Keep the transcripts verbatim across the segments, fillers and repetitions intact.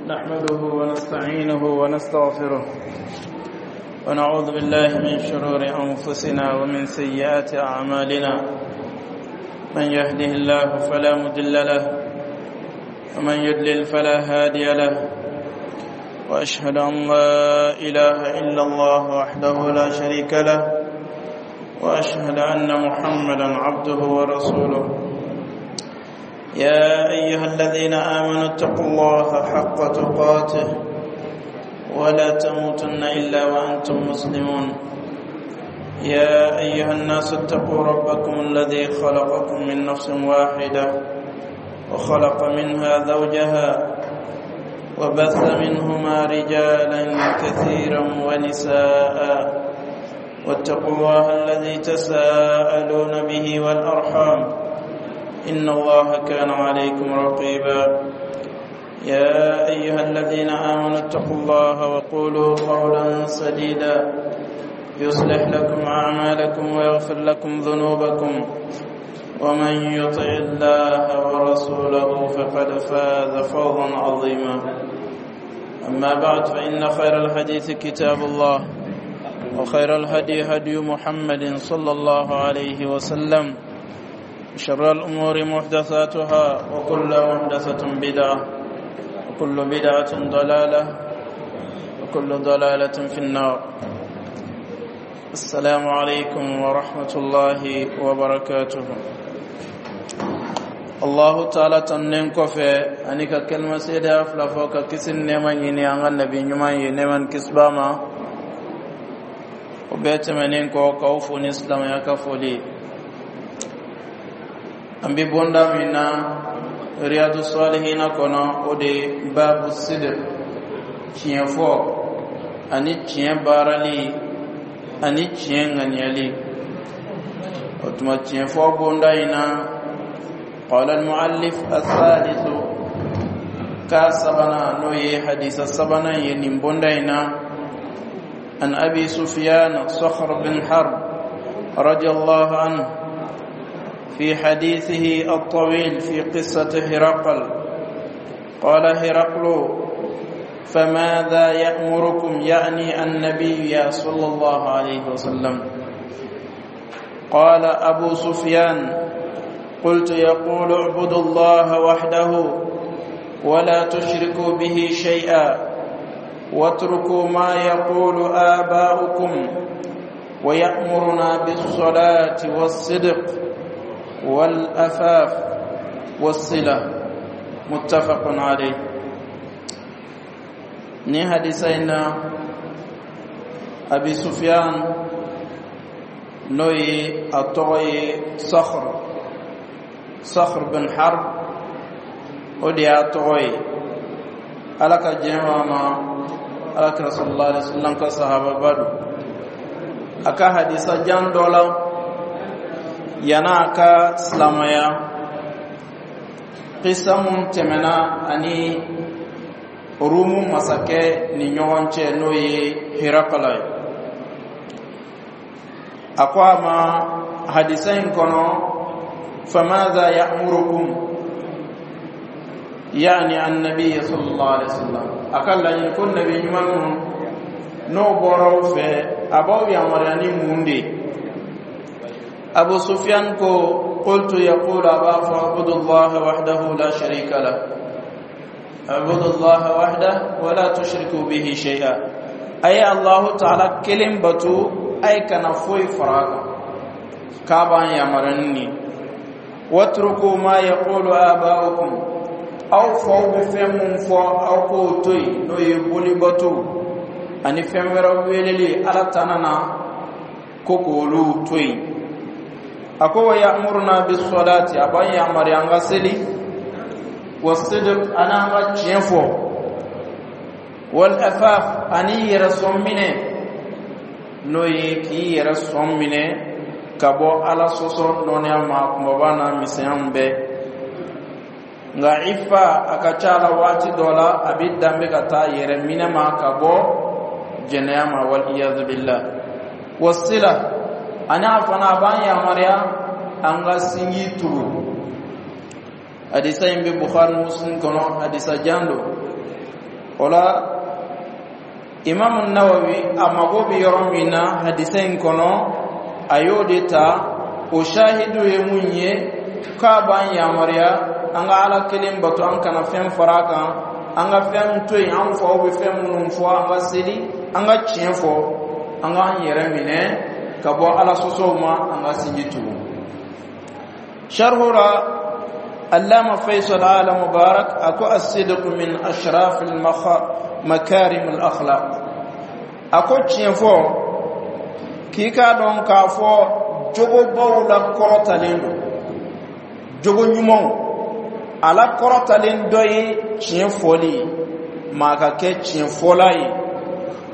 نحمده ونستعينه ونستغفره ونعوذ بالله من شرور أنفسنا ومن سيئات أعمالنا. من يهده الله فلا مضل له ومن يضلل فلا هادي له، وأشهد أن لا إله إلا الله وحده لا شريك له، وأشهد أن محمدا عبده ورسوله. يا أيها الذين آمنوا اتقوا الله حق تقاته ولا تموتن إلا وأنتم مسلمون. يا أيها الناس اتقوا ربكم الذي خلقكم من نفس واحدة وخلق منها زوجها وبث منهما رجالا كثيرا ونساء، واتقوا الله الذي تساءلون به والأرحام إن الله كان عليكم رقيبا. يا أيها الذين آمنوا اتقوا الله وقولوا قولا سديدا يصلح لكم أعمالكم ويغفر لكم ذنوبكم، ومن يطع الله ورسوله فقد فاز فوزا عظيما. أما بعد، فإن خير الحديث كتاب الله، وخير الهدي هدي محمد صلى الله عليه وسلم، شر الأمور محدثاتها، وكل محدثة بدعة، وكل بدعة ضلالة، وكل ضلالة في النار. السلام عليكم ورحمة الله وبركاته. الله تعالى tanunen kɔfɛ ani ka kalima seedeya fila fɔ ka kisi nɛɛma ɲini an ka nabi ɲuman ye, nɛɛma ni kisi b'a ma. O bɛɛ tɛmɛnen kɔ, k'aw fo ni silamɛya ka foli. An bɛ bonda min na Riyadu Salihina kɔnɔ, o de babu sidq, tiɲɛ fɔ ani tiɲɛ baarali ani tiɲɛ ŋaniyali. O tuma, tiɲɛ fɔ bonda in na, قال المؤلف: الثالث، ka sabanan, n'o ye hadisa sabanan ye nin bonda in na. عن أبي سفيان صخر بن حرب رضي الله عنه في حديثه الطويل في قصة هرقل، قال هرقل: فماذا يأمركم؟ يعني النبي صلى الله عليه وسلم. قال أبو سفيان: قلت: يقول اعبدوا الله وحده ولا تشركوا به شيئا، واتركوا ما يقول آباؤكم، ويأمرنا بالصلاة والصدق والعفاف والصلة. متفق عليه. Ni hadisa in na, Abi Sufyan, n'o ye a tɔgɔ ye Sakhr Sakhr bin Harb, o de y'a tɔgɔ ye, Ala ka diɲɛ b'a ma, Ala kira sallallahu alaihi wasallam ka sahababa don. A ka hadisa jan dɔ la, yan'a a ka silamɛya, kisa mun tɛmɛna ani Rumu masakɛ ni ɲɔgɔn cɛ, n'o ye Hirakala ye, a ko a ma hadisa in kɔnɔ: فماذا يأمركم؟ يعني النبي صلى الله عليه وسلم. A ka laɲini ko nabi ɲuman ninnu n'o bɔra aw fɛ, a b'aw yamaruya ni mun de ye? Abu Sufyan ko: قلت يقول، a b'a fɔ: اعبدوا الله وحده لا شريك له، اعبدوا الله وحده ولا تشركوا به شيئا. A ye Allahu Taala kelen batu, a ye kana foyi fara a kan. K'a b'an yamaruya ni nin. واتركوا ما يقول آباؤكم، aw faw bɛ fɛn mun fɔ, aw k'o to yen, n'o ye bolibato ani fɛn wɛrɛ weleli Ala tana na, ko k'olu to yen. A ko: ويأمرنا بالصلاة، a b'an yamaruya an ka seli، والصدق، ani an ka tiɲɛ fɔ، والعفاف، ani yɛrɛ sɔn minɛ, n'o ye k'i yɛrɛ sɔn minɛ ka bɔ Ala sɔsɔ nɔnɔya ma, kumaba n'a misɛnya bɛɛ. Nka ifa, a ka ca la, waati dɔ la a bɛ danbe ka taa yɛrɛ minɛ ma ka bɔ jɛnɛya ma، والعياذ بالله. والصلة، ani a fana a b'an yamaruya an ka sinji tugu. Hadisa in bɛ Bukhari, Muslim kɔnɔ, hadisa jan don. O la, Imamu Nawawi a mago bɛ yɔrɔ min na hadisa in kɔnɔ, a y'o de ta. O shahidu ye mun ye? K'a b'an yamaruya an ka Ala kelen bato, an kana fɛn fara a kan, an ka fɛn to yen an faw bɛ fɛn minnu fɔ, an ka seli, an ka tiɲɛ fɔ, an k'an yɛrɛ minɛ ka bɔ Ala sɔsɔw ma, an ka sinji tugu. Sharhu la, Allama Faisal Ala Mubarak a ko: الصدق من أشرف مكارم الأخلاق. A ko tiɲɛ fɔ, k'i k'a dɔn k'a fɔ jogobaw la kɔrɔtalen don, jogo ɲumanw a la kɔrɔtalen dɔ ye tiɲɛ fɔli ye, maa ka kɛ tiɲɛ fɔla ye.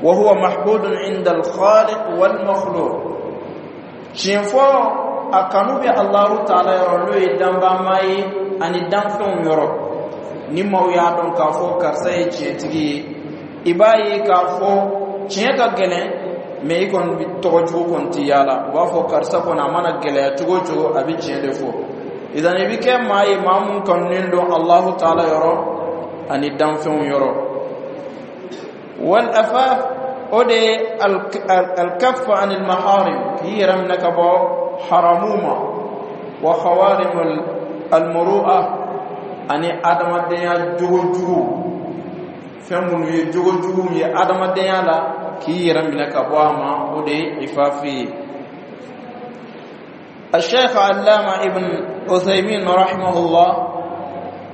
وهو محبوب عند الخالق والمخلوق. Tiɲɛ fɔ, a kanu bɛ Alahu Taala yɔrɔ, n'o ye danbama ye, ani danfɛnw yɔrɔ. Ni maaw y'a dɔn k'a fɔ karisa ye tiɲɛtigi ye, i b'a ye k'a fɔ tiɲɛ ka gɛlɛn, mɛ i kɔni bi tɔgɔ jugu kɔni ti yaala. U b'a fɔ karisa kɔni, a mana gɛlɛya cogo o cogo, a bɛ tiɲɛ de fɔ. Idan i bɛ kɛ maa ye, maa mun kanunen don Alahu Taala yɔrɔ ani danfɛnw yɔrɔ. والعفاف, o de ye الكف عن المحارم, k'i yɛrɛ minɛ ka bɔ haramu ma. وخوارم المروءة, ani adamadenya jogo jugu, fɛn minnu ye jogo jugu ye adamadenya la, k'i yɛrɛ minɛ ka bɔ a ma, o de ye ifafi ye. الشيخ علامة ابن عثيمين رحمه الله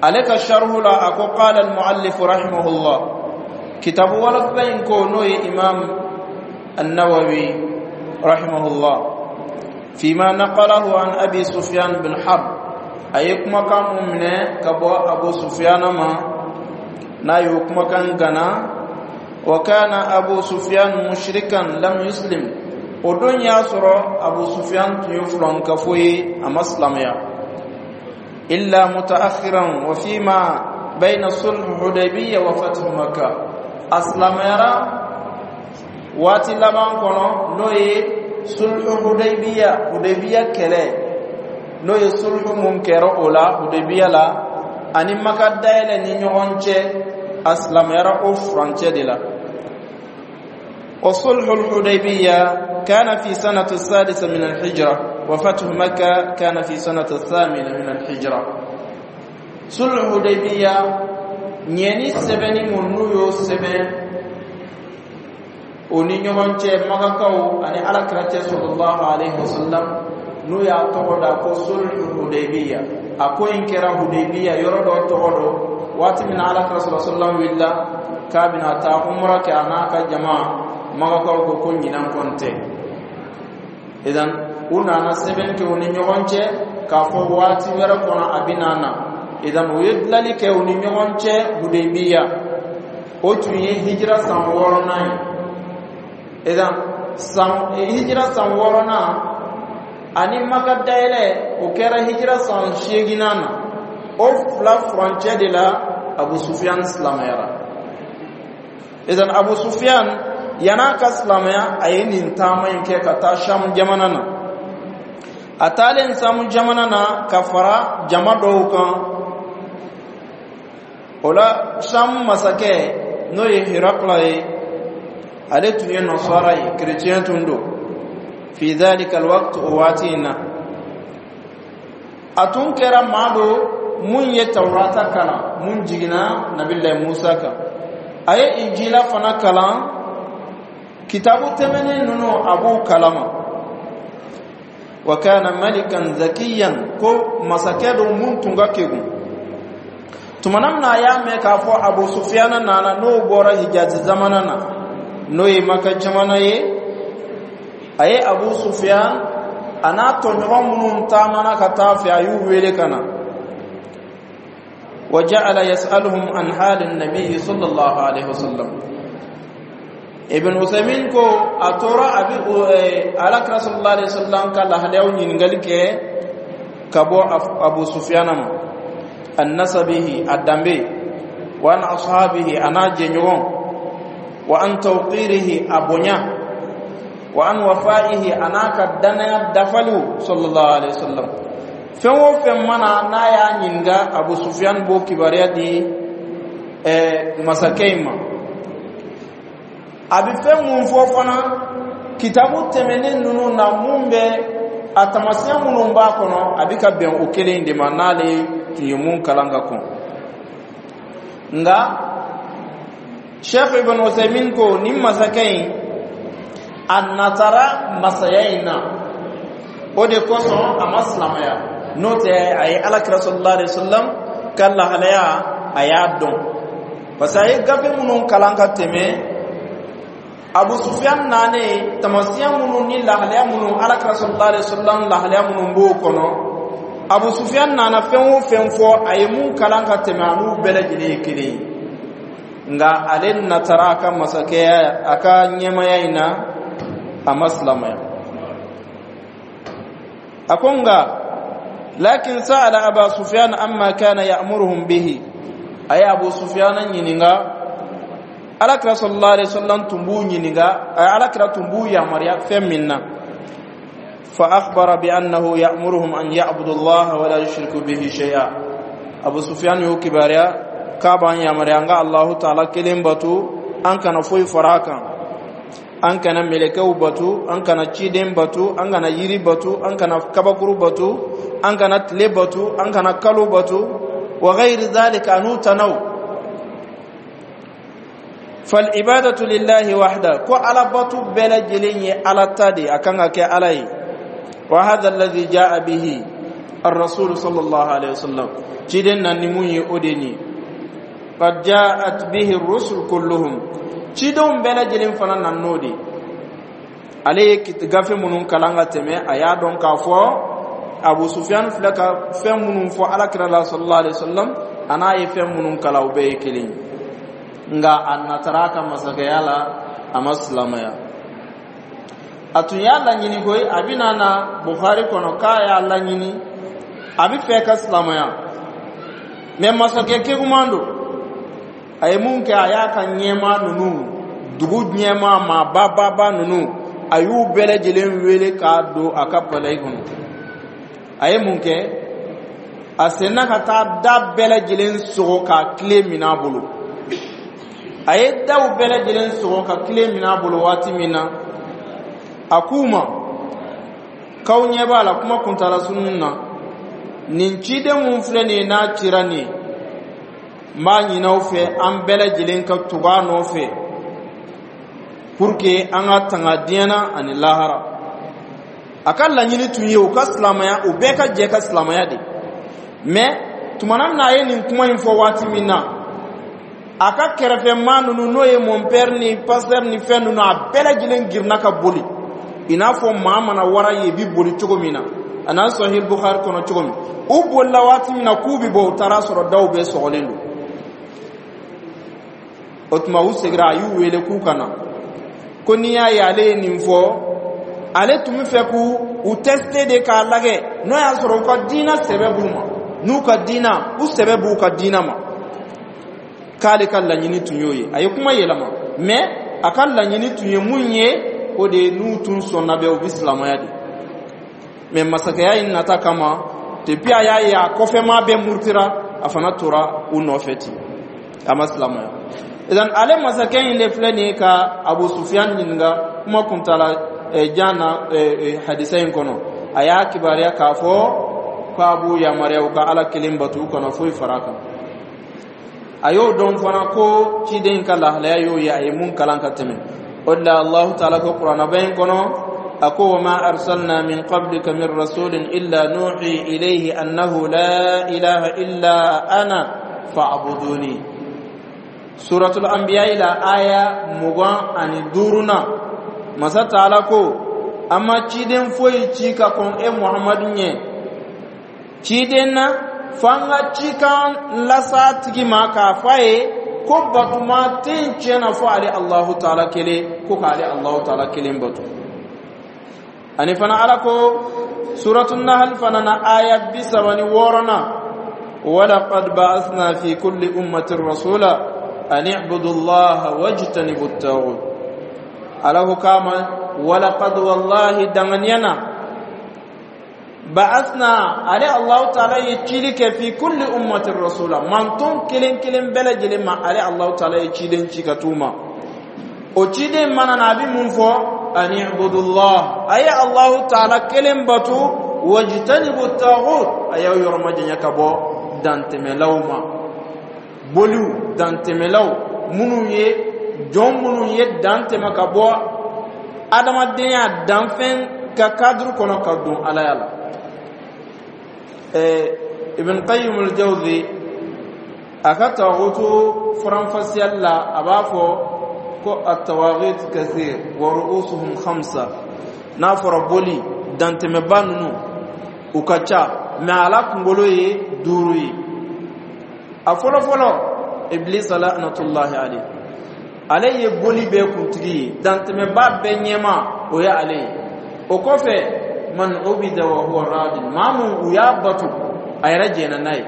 عليك الشرح لا أكو: قال المؤلف رحمه الله, كتاب ولف كو نوي إمام النووي رحمه الله, فيما نقله عن أبي سفيان بن حرب, أي كما كان من كبو أبو سفيان ما نا يكما كان غنا. وكان أبو سفيان مشركا لم يسلم. O don y'a sɔrɔ Abu Sufyan tun ye fulankafo ye, a ma silamɛya إلا متأخرا وفيما بين صلح حديبية وفتح مكة. A silamɛyara waati laban kɔnɔ, n'o ye sulhu Hudaybiya, Hudaybiya kɛlɛ, n'o ye sulhu mun kɛra o la Hudaybiya la ani Maka dayɛlɛ ni ɲɔgɔn cɛ, a silamɛyara o furancɛ de la. وصلح الحديبية كان في سنة السادسة من الهجرة، وفتح مكة كان في سنة الثامنة من الهجرة. صلح الحديبية, ɲɛni sɛbɛnni mun n'u y'o sɛbɛn o ni ɲɔgɔn cɛ, Makakaw ani Alakira cɛ صلى الله عليه وسلم, n'u y'a tɔgɔ da ko sulhu Hudaybiya, a ko in kɛra Hudaybiya yɔrɔ dɔ tɔgɔ dɔ. Waati min na Alakira صلى الله عليه وسلم wulila k'a bɛna taa umra kɛ a n'a ka jama, Makakaw ko ko ɲinan kɔni tɛ. Idan u nana sɛbɛn kɛ u ni ɲɔgɔn cɛ k'a fɔ waati wɛrɛ kɔnɔ a bɛna na. Idan u ye dilali kɛ u ni ɲɔgɔn cɛ Hudaybiya, o tun ye hijira san wɔɔrɔnan ye. Idan san hijira san wɔɔrɔnan ani Maka dayɛlɛ, o kɛra hijira san seeginnan na. O fila furancɛ de la Abu Sufiyan silamɛyara. Idan Abu Sufiyan, yan'a ka silamɛya, a ye nin taama in kɛ ka taa Sham jamana na. A taalen Samu jamana na ka fara jama dɔw kan, o la Sham masakɛ, n'o ye Hirakla ye, ale tun ye nasara ye, kerecɛn tun don في ذلك الوقت. O waati in na, a tun kɛra maa do mun ye Tawurata kalan mun jiginna Nabilayi Musa kan, a ye Injila fana kalan, kitabu tɛmɛnen ninnu a b'u kalama. وكان ملكا ذكيا, ko masakɛ do mun tun ka kegun. Tumana min na a y'a mɛn k'a fɔ Abu Sufiyana nana, n'o bɔra Hijazi zamana na, n'o ye Maka jamana ye, a ye Abu Sufiyan a n'a tɔɲɔgɔn minnu taamana ka taa fɛ, a y'u wele ka na. وجعل يسألهم عن حال النبي صلى الله عليه وسلم. Ibn Usaymin ko a tora a bi Alakira صلى الله عليه وسلم ka lahalayaw ɲininkali kɛ ka bɔ Abu Sufiyana ma: عن نسبه, a danbe, وعن أصحابه, a n'a jɛɲɔgɔn, وعن توقيره, a bonya, وعن وفائه, a n'a ka danaya dafaliw صلى الله عليه وسلم. Fɛn o fɛn mana n'a y'a ɲininka, Abu Sufyan b'o kibaruya di. ɛɛ masakɛ in ma. A bɛ fɛn mun fɔ fana kitabu tɛmɛnen ninnu na, mun bɛ a tamasiyɛn minnu b'a kɔnɔ, a bɛ ka bɛn o kelen de ma n'ale tun ye mun kalan ka kɔn. Nka Sheikh Ibn Usaymin ko nin masakɛ in, a natara masaya in na, o de kosɔn a ma silamɛya. N'o tɛ, a ye Alakira sallallahu alaihi wasallam ka lahalaya, a y'a dɔn, parce que a ye gafe minnu kalan ka tɛmɛ, Abu Sufyan nanen, tamasiyɛn minnu ni lahalaya minnu, Alakira sallallahu alaihi wasallam lahalaya minnu b'o kɔnɔ, Abu Sufyan nana fɛn o fɛn fɔ, a ye mun kalan ka tɛmɛ, a n'u bɛɛ lajɛlen ye kelen ye. Nka ale natara a ka masakɛya, a ka ɲɛmaya in na, a ma silamɛya. A ko nka lakin sa'ala Aba Sufyan amma kana ya'muruhum bihi. A ye Abu Sufyan ɲininka, Alakira sallallahu alaihi wasallam tun b'u ɲininka, Alakira tun b'u yamaruya fɛn min na. Fa akhbara bi annahu ya'muruhum an ya'budu Allah wa la yushriku bihi shay'a. Abu Sufyan y'o kibaruya k'a b'an yamaruya an ka Allahu Ta'ala kelen batu, an kana foyi fara a kan, an kana mɛlɛkɛw batu, an kana ciden batu, an kana yiri batu, an kana kabakuru batu, an kana tile batu, an kana kalo batu, wa ghayri dhalika, an'u tanaw. Fal ibadatu lillahi wahda, ko Ala batu bɛɛ lajɛlen ye Ala ta de, a kan ka kɛ Ala ye. Wa hadha alladhi jaa bihi ar-rasul sallallahu alaihi wasallam, ciden na ni mun ye, o de ni qad jaat bihi ar-rusul kulluhum, cidenw bɛɛ lajɛlen fana na n'o de. Ale ye gafe minnu kalan ka tɛmɛ, a y'a dɔn k'a fɔ Abu Sufyan filɛ ka fɛn minnu fɔ Alakira la sallallahu alaihi wasallam, a n'a ye fɛn minnu kalan, o bɛɛ ye kelen ye. Nka a natara a ka masakɛya la, a ma silamɛya. A tun y'a laɲini koyi, a bɛna na Bukhari kɔnɔ k'a y'a laɲini, a bɛ fɛ ka silamɛya, mɛ masakɛ keguman don. A ye mun kɛ? A y'a ka ɲɛmaa ninnu, dugu ɲɛmaa maa bababa ninnu, a y'u bɛɛ lajɛlen wele k'a don a ka palais kɔnɔ. A ye mun kɛ? A senna ka taa da bɛɛ lajɛlen sɔgɔ k'a tile minɛ a bolo. A ye daw bɛɛ lajɛlen sɔgɔ ka tile minɛ a bolo waati min na, a k'u ma k'aw ɲɛ b'a la, kuma kuntala sunun na, nin ciden mun filɛ nin ye, n'a cira nin ye, n b'a ɲini aw fɛ, an bɛɛ lajɛlen ka tugu a nɔfɛ pour que an ka tanga diɲɛ na ani lahara. A ka laɲini tun ye u ka silamɛya, u bɛɛ ka jɛ ka silamɛya de. Mais tumana min na a ye nin kuma in fɔ waati min na, a ka kɛrɛfɛmaa ninnu, n'o ye mon père ni pasteur ni fɛn ninnu, a bɛɛ lajɛlen girinna ka boli, i n'a fɔ maa mana wara ye, i bɛ boli cogo min na, a n'a Sahih Bukhari kɔnɔ cogo min. U bolila waati min na k'u bɛ bɔ, u taara sɔrɔ daw bɛɛ sɔgɔlen don. O tuma u seginna, a y'u wele k'u ka na, ko n'i y'a ye ale ye nin fɔ, ale tun bɛ fɛ k'u u tester de k'a lajɛ n'o y'a sɔrɔ u ka diinɛ sɛbɛ b'u ma, n'u ka diinɛ, u sɛbɛ b'u ka diinɛ ma. K'ale ka laɲini tun y'o ye. A ye kuma yɛlɛma, mais a ka laɲini tun ye mun ye? O de ye n'u tun sɔnna bɛ, u bɛ silamɛya de. Mais masakɛya in nata kama, depuis a y'a ye a kɔfɛmaa bɛɛ murutira, a fana tora u nɔfɛ ten, a ma silamɛya. Idan ale masakɛ in de filɛ nin ye ka Abu Sufyan ɲininka kuma kuntala jan na hadisa in kɔnɔ. A y'a kibaruya k'a fɔ k'a b'u yamaruya u ka Ala kelen batu, u kana foyi fara a kan. A y'o dɔn fana ko ciden ka lahalaya y'o ye, a ye mun kalan ka tɛmɛ. O de la Allahu Taala ko kuranaba in kɔnɔ, a ko: wa ma arsalna min qablika min rasulin illa nuhi ilayhi annahu la ilaha illa ana fa'buduni. Suratul Anbiya ila aya mugan ani duuruna, Masa Taala ko an ma ciden foyi ci ka kɔn e Muhamadu ɲɛ ciden na, f'an ka cikan lasa tigi ma k'a fɔ a ye ko batuma tɛ yen tiɲɛ na fɔ ale Alahu Taala kelen, ko k'ale Alahu Taala kelen bato. Ani fana Ala ko Suratul Nahal fana na, aya bi saba ni wɔɔrɔnan: walaqad ba'athna fi kulli ummatin rasula an i'budu Allaha wajtanibu at-taghut. Ala ko k'a ma walaqad, wallahi, danganiya na. Ba'athna, ale Allahu Taala ye cili kɛ, fi kulli ummatin rasula, manton kelen kelen bɛɛ lajɛlen ma, ale Allahu Taala ye ciden ci ka t'u ma. O ciden mana na, a bɛ mun fɔ? Ani ibudullah, a ye Allahu Taala kelen batu, wajtanibu taghut, a y'aw yɔrɔ majanya ka bɔ dantɛmɛlaw ma, boliw dantɛmɛlaw minnu ye jɔn minnu ye dantɛmɛ ka bɔ adamadenya danfɛn ka cadre kɔnɔ ka don alaya la. Ibn Qayyim al-Jawzi, a ka tawutu faranfasiyali la, a b'a fɔ ko at-tawaghit kathir wa ru'usuhum khamsa. N'a fɔra boli dantɛmɛba ninnu, u ka ca, mɛ ala kunkolo ye duuru ye. A fɔlɔ fɔlɔ, Iblisa la'natullahi alayhi, ale ye boli bɛɛ kuntigi ye, dantɛmɛba bɛɛ ɲɛma, o ye ale ye. O kɔfɛ, man ubida wa huwa radin, maa mun u y'a bato, a yɛrɛ jɛnna n'a ye,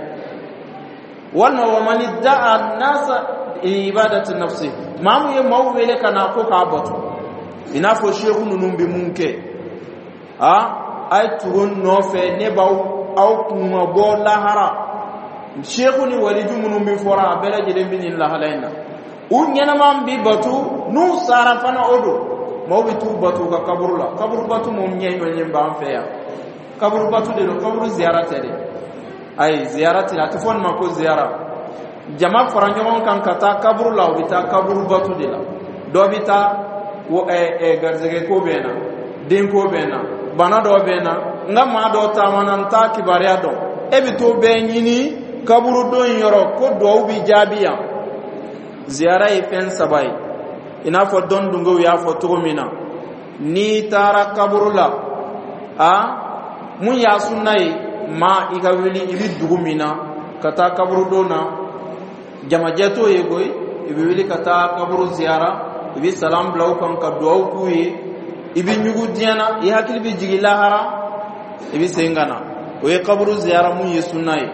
walima wa man idda'a nasa ibadati nafsi, maa mun ye maaw wele ka na ko k'a bato, i n'a fɔ seku ninnu bɛ mun kɛ. A a ye tugu n nɔfɛ, ne b'aw aw kunna bɔ lahara. Seku ni waliju minnu bɛ fɔra, a bɛɛ lajɛlen bɛ nin lahala in na. U ɲɛnama bi batu, n'u sara fana, o don maaw bɛ t'u batu u ka kaburu la. Kaburu batu mun ɲɛ ɲɔgɔn b'an fɛ yan, kaburu batu de don, kaburu ziyara tɛ dɛ. Ayi, ziyara tɛ, a tɛ fɔ nin ma ko ziyara. Jama fara ɲɔgɔn kan ka taa kaburu la, u bɛ taa kaburu batu de la. Dɔ bɛ taa, garisɛgɛ ko bɛ n na, den ko bɛ n na, bana dɔ bɛ n na, n ka maa dɔ taamana, n t'a kibaruya dɔn. E bɛ t'o bɛɛ ɲini kaburudon in yɔrɔ ko duwawu bi jaabi yan. Ziyara ye fɛn saba ye, i n'a fɔ dɔn dungew y'a fɔ cogo min na. N'i taara kaburu la, a mun y'a sunna ye? Maa i ka wuli, i bɛ dugu min na, ka taa kaburudon na, jamajɛ t'o ye koyi. I bɛ wuli ka taa kaburu ziyara, i bɛ salam bila u kan ka duwawu k'u ye, i bɛ ɲugu diɲɛ na, i hakili bɛ jigin lahara, i bɛ segin ka na. O ye kaburu ziyara mun ye sunna ye.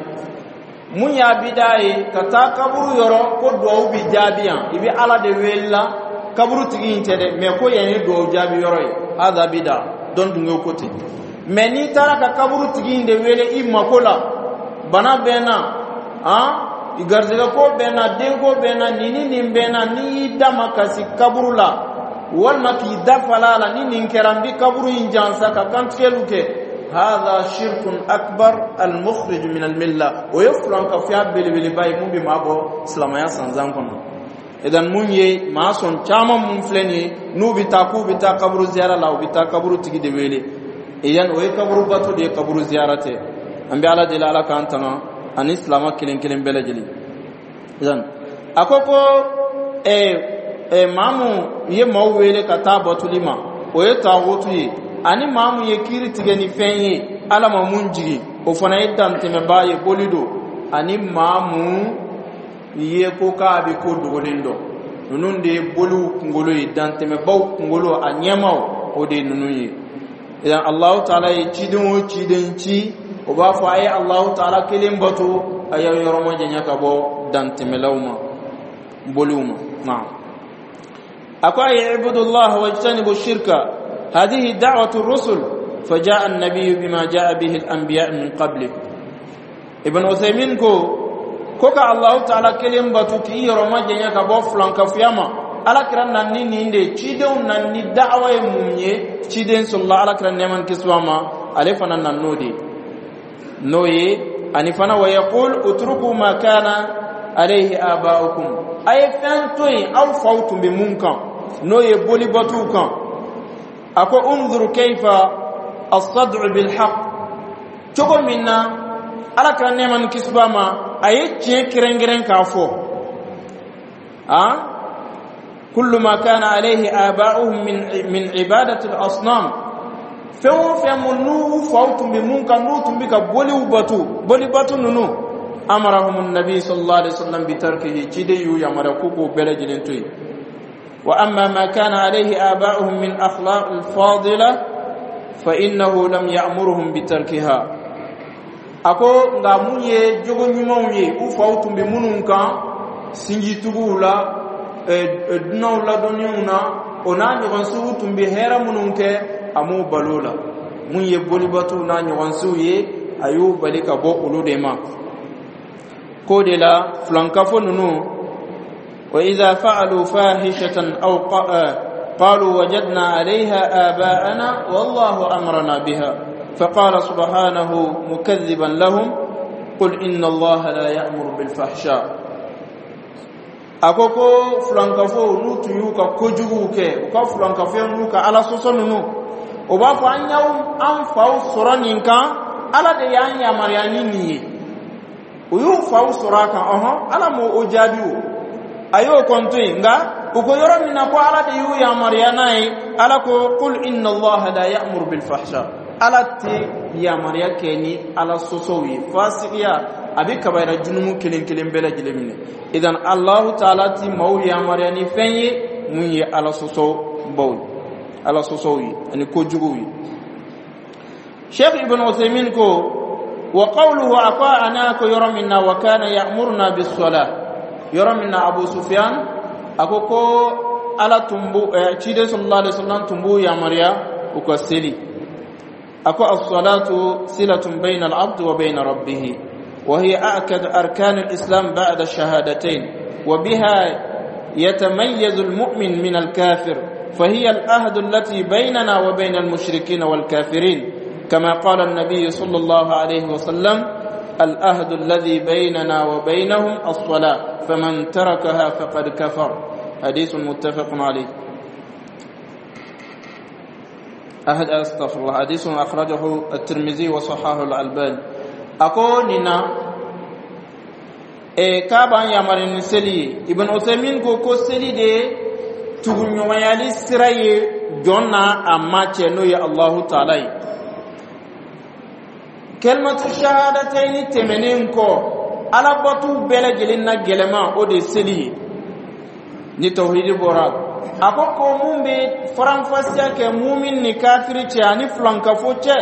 Mun y'a bida ye? Ka taa kaburu yɔrɔ ko duwawu bi jaabi yan, i bɛ Ala de wele la, kaburu tigi in tɛ dɛ, mɛ ko yan ye duwawu jaabi yɔrɔ ye, hada bida. Dɔn dun ko ten. Mɛ n'i taara ka kaburu tigi in de wele i mako la, bana bɛ n na, han, garizɛgɛ ko bɛ n na, denko bɛ n na, nin ni nin bɛ n na, n'i y'i da ma kasi kaburu la, walima k'i da fala a la, ni nin kɛra, n bɛ kaburu in jansa ka kantigɛliw kɛ, هذا شرك أكبر المخرج من الملة. O ye fulankafoya belebeleba ye mun bɛ maa bɔ silamɛya sanzan kɔnɔ. Idan mun ye maa sɔn caman mun filɛ nin ye, n'u bɛ taa k'u bɛ taa kaburu ziyara la, u bɛ taa kaburu tigi de wele. Idan o ye kaburu bato de ye, kaburu ziyara tɛ. An bɛ Ala deli, Ala k'an tanga ani silama kelen kelen bɛɛ lajɛlen. Idan a ko ko ɛɛ ɛɛ maa mun ye maaw wele ka taa batoli ma, o ye taagutu ye, ani maa mun ye kiiri tigɛ ni fɛn ye Ala ma mun jigin, o fana ye dantɛmɛbaa ye, boli don, ani maa mun ye ko k'a bɛ ko dogolen dɔn. Ninnu de ye boliw kunkolo ye, dantɛmɛbaw kunkolo, a ɲɛmaw, o de ye ninnu ye. Idan Allahu Taala ye ciden o ciden ci, o b'a fɔ a ye Allahu Taala kelen bato, a y'aw yɔrɔ majanya ka bɔ dantɛmɛlaw ma, boliw ma. Naam, a ko a ye ibudullah wajtanibu shirka. هذه دعوة الرسل، فجاء النبي بما جاء به الأنبياء من قبله. Ibn Uthaymin ko ko ka Allahu Taala kelen batu, k'i yɔrɔ majanya ka bɔ fulankafuya ma, Ala kira nan ni nin de cidenw nan ni da'awa ye. Mun ye ciden sɔrɔla, Ala kira nɛɛma ni kisi ma, ale fana nan n'o de n'o ye. Ani fana wa yaqul utruku ma kana alayhi aba'ukum, a ye fɛn to yen aw faw tun bɛ mun kan, n'o ye bolibatuw kan. A ko unzur kayfa as-sad'u bil haqq, cogo min na Ala kira nɛɛma ni kisi b'a ma, a ye tiɲɛ kɛrɛnkɛrɛn k'a fɔ a kullu ma kana alayhi aba'uhum min min ibadati al-asnam, fɛn o fɛn mun n'u faw tun bɛ mun kan, n'u tun bɛ ka boliw batu, boli batu ninnu, amarahum an-nabi sallallahu alaihi wasallam bi tarkihi, ciden y'u yamaruya k'u k'o bɛɛ lajɛlen to yen. وأما ما كان عليه آباؤهم من أخلاق الفاضلة فإنه لم يأمرهم بتركها. Ako nka mun ye jogo ɲumanw ye u faw tun bɛ minnu kan, sinjituguw la, dunanw ladɔnniw na, o n'a ɲɔgɔn sugu tun bɛ hɛrɛ minnu kɛ, a m'u balo la. Mun ye bolibatuw n'a ɲɔgɔnsiw ye, a y'u bali ka bɔ olu de ma. K'o de la filankafo ninnu, wa idha fa'alu fahishatan aw qalu wajadna 'alayha aba'ana wallahu amarna biha. فقال سبحانه مكذبا لهم: قل إن الله لا يأمر بالفحشاء. A ko ko filankafo, n'u tun y'u ka kojuguw kɛ, u ka filankafoya n'u ka Ala sɔsɔ ninnu, o b'a fɔ: an y'aw an faw sɔrɔ nin kan, Ala de y'an yamaruya ni nin ye. U y'u faw sɔrɔ a kan. Ɔhɔn, Ala m'o o jaabi, o a y'o kɔn to yen. Nka u ko yɔrɔ min na ko Ala de y'u yamaruya n'a ye, Ala ko: qul inna Allaha la ya'muru bil fahsha. Ala tɛ yamaruya kɛ ni Ala sɔsɔw ye. Fasigiya a bɛ kabayira junumu kelen kelen bɛɛ lajɛlen minɛ. Idan Allahu taala ti maaw yamaruya ni fɛn ye mun ye Ala sɔsɔ baw ye, Ala sɔsɔw ye ani kojuguw ye. Sheikh Ibn Uthaymin ko: wa qawluhu, a ko ana ko yɔrɔ min na wa kana ya'muruna bis salah, yɔrɔ min na Abu Sufyan a ko ko Ala tun b'u, ciden sallallahu alaihi wasallam tun b'u yamaruya u ka seli. A ko: as-salatu silatun bayna al-abd wa bayna rabbih, وهي أأكد أركان الإسلام بعد الشهادتين، وبها يتميز المؤمن من الكافر، فهي العهد التي بيننا وبين المشركين والكافرين، كما قال النبي صلى الله عليه وسلم: العهد الذي بيننا وبينهم الصلاة، فمن تركها فقد كفر. حديث متفق عليه. أحد، أستغفر الله، حديث أخرجه الترمذي وصححه الألباني. A ko nin na e k'a b'an yamari ni seli ye. Ibn Uthaymin ko ko seli de tuguɲɔgɔnyali sira ye jɔn n'a a ma cɛ, n'o ye Allahu taala ye. Kalimatu shahadataini tɛmɛnen kɔ, Alabatu bɛɛ lajɛlen na gɛlɛman, o de ye seli ye ni tawhidi bɔra. A ko ko mun bɛ faranfasiya kɛ mumin ni kafiri cɛ ani filankafo cɛ,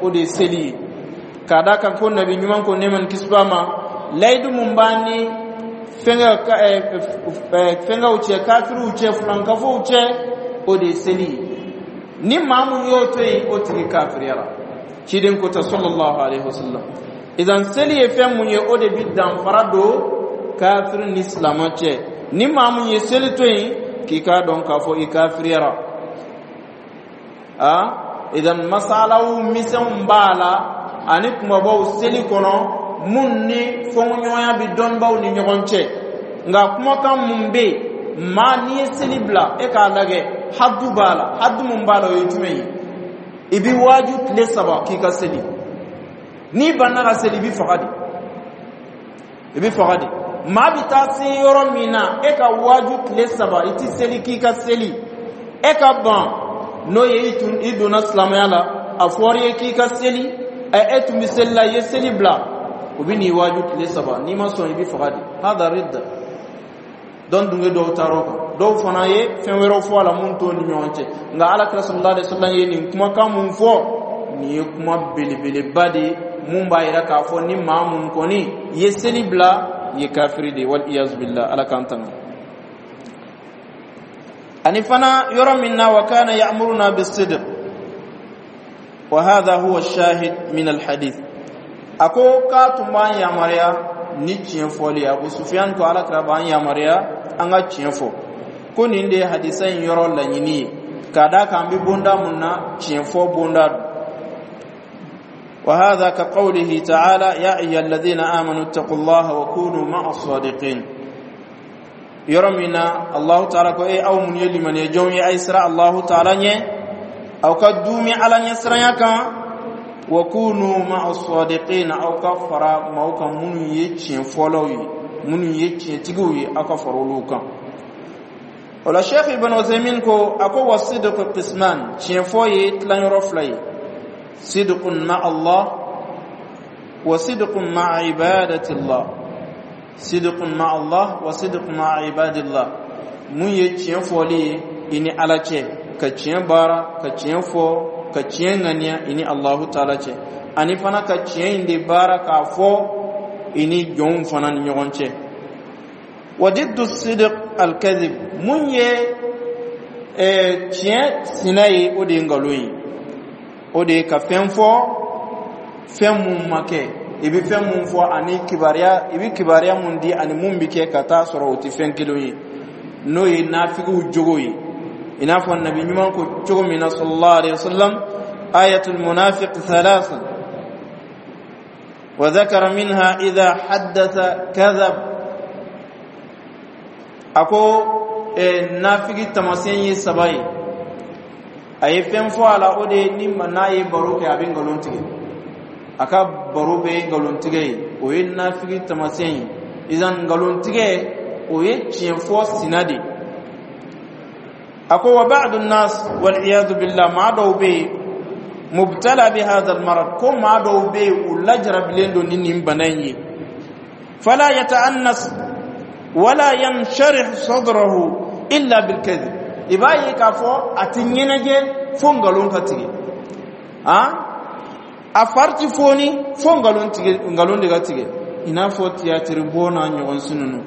o de ye seli ye. K'a da kan ko Nabi ɲuman ko, nɛɛma ni kisi b'a ma, layidu mun b'an ni fɛngɛ fɛngɛw cɛ, kafiriw cɛ, filankafow cɛ, o de ye seli ye. Ni maa mun y'o to yen, o tigi kafiriyara. Ciden ko ta sallallahu alaihi wasallam. Idan seli ye fɛn mun ye, o de bi danfara don kafiri ni silamɛ cɛ. Ni maa mun ye seli to yen, k'i k'a dɔn k'a fɔ i kafiriyara. A idan masalaw misɛnw b'a la ani kumabaw seli kɔnɔ mun ni fɔɲɔgɔnya bɛ dɔnnibaw ni ɲɔgɔn cɛ. Nka kumakan mun bɛ yen, maa n'i ye seli bila, e k'a lajɛ hadu b'a la. Hadu mun b'a la, o ye jumɛn ye? I bɛ waaju tile saba k'i ka seli. N'i banna ka seli, i bɛ faga de, i bɛ faga de. Maa bɛ taa se yɔrɔ min na, e ka waaju tile saba i ti seli k'i ka seli, e ka ban, n'o ye i tun i donna silamɛya la, a fɔra i ye k'i ka seli, ɛ e tun bɛ seli la, i ye seli bila, u bɛ n'i waaju tile saba, n'i ma sɔn, i bɛ faga de. Hada ridda. Dɔn dunge dɔw taara o kan, dɔw fana ye fɛn wɛrɛw fɔ a la mun t'o ni ɲɔgɔn cɛ. Nka Ala kira sallallahu alaihi wasallam ye nin kumakan mun fɔ, nin ye kuma belebeleba de ye mun b'a yira k'a fɔ ni maa mun kɔni ye seli bila, i ye kafiri de ye, wal iyazu billah. Ala k'an tanga. Ani fana yɔrɔ min na wa kana ya'muruna bis-sidq, wa hadha huwa ash-shahid min al-hadith. A ko k'a tun b'an yamaruya ni tiɲɛ fɔli ye. Abu Sufyan ko Ala kira b'an yamaruya an ka tiɲɛ fɔ. Ko nin de ye hadisa in yɔrɔ laɲini ye, k'a d'a kan an bɛ bonda mun na, tiɲɛ fɔ bonda don. وهذا كقوله تعالى: يا أيها الذين آمنوا اتقوا الله وكونوا مع الصادقين. Yɔrɔ min na Allahu taala ko: e aw mun ye limaniya jɔnw ye, a ye siran Allahu taala ɲɛ, aw ka duumi Ala ɲɛ siranya kan, wa kunu ma'a sadiqin, aw ka fara maaw kan minnu ye tiɲɛ fɔlaw ye, minnu ye tiɲɛtigiw ye, aw ka fara olu kan. O la Sheikh Ibn Uthaymin ko, a ko: wa sidqu qisman, tiɲɛ fɔ ye tilanyɔrɔ fila ye: sidqun ma'a Allah wa sidqun ma'a ibadati Allah. Sidqun ma'a Allah wa sidqun ma'a ibadillah. Mun ye tiɲɛ fɔli ye i ni Ala cɛ, ka tiɲɛ baara, ka tiɲɛ fɔ, ka tiɲɛ ŋaniya i ni Allahu taala cɛ, ani fana ka tiɲɛ in de baara k'a fɔ i ni jɔnw fana ni ɲɔgɔn cɛ. Wa diddu sidq alkadhib. Mun ye tiɲɛ sina ye? O de ye nkalon ye. O de ye ka fɛn fɔ, fɛn mun ma kɛ. I bɛ fɛn mun fɔ ani kibaruya, i bɛ kibaruya mun di ani mun bɛ kɛ ka taa sɔrɔ, o tɛ fɛn kelen ye. N'o ye nafigiw jogo ye, i n'a fɔ Nabi ɲuman ko cogo min na, sallallahu alaihi wasallam: ayatul munafiq thalatha wa dhakara minha idha haddatha kadhab. A ko eh, nafigi taamasiyɛn ye saba ye. A ye fɛn fɔ a la, o de ye ni n'a ye baro kɛ, a bɛ nkalon tigɛ, a ka baro bɛɛ ye nkalon tigɛ ye. O ye nafigi taamasiyɛn ye. Idan nkalon tigɛ, o ye tiɲɛ fɔ sina de. A ko wa ba'du nas, wal iyadu billah, maa dɔw bɛ yen, mubtala bi hadha al marad, ko maa dɔw bɛ yen, u lajarabilen don ni nin bana in ye. Fala yata'annas wala yansharih sadrahu illa bil kadhib. I b'a ye k'a fɔ a ti ɲɛnajɛ fo nkalon ka tigɛ, han, a fari ti foni fo nkalon tigɛ, nkalon de ka tigɛ. I n'a fɔ tiyatiri bɔ n'a ɲɔgɔn si ninnu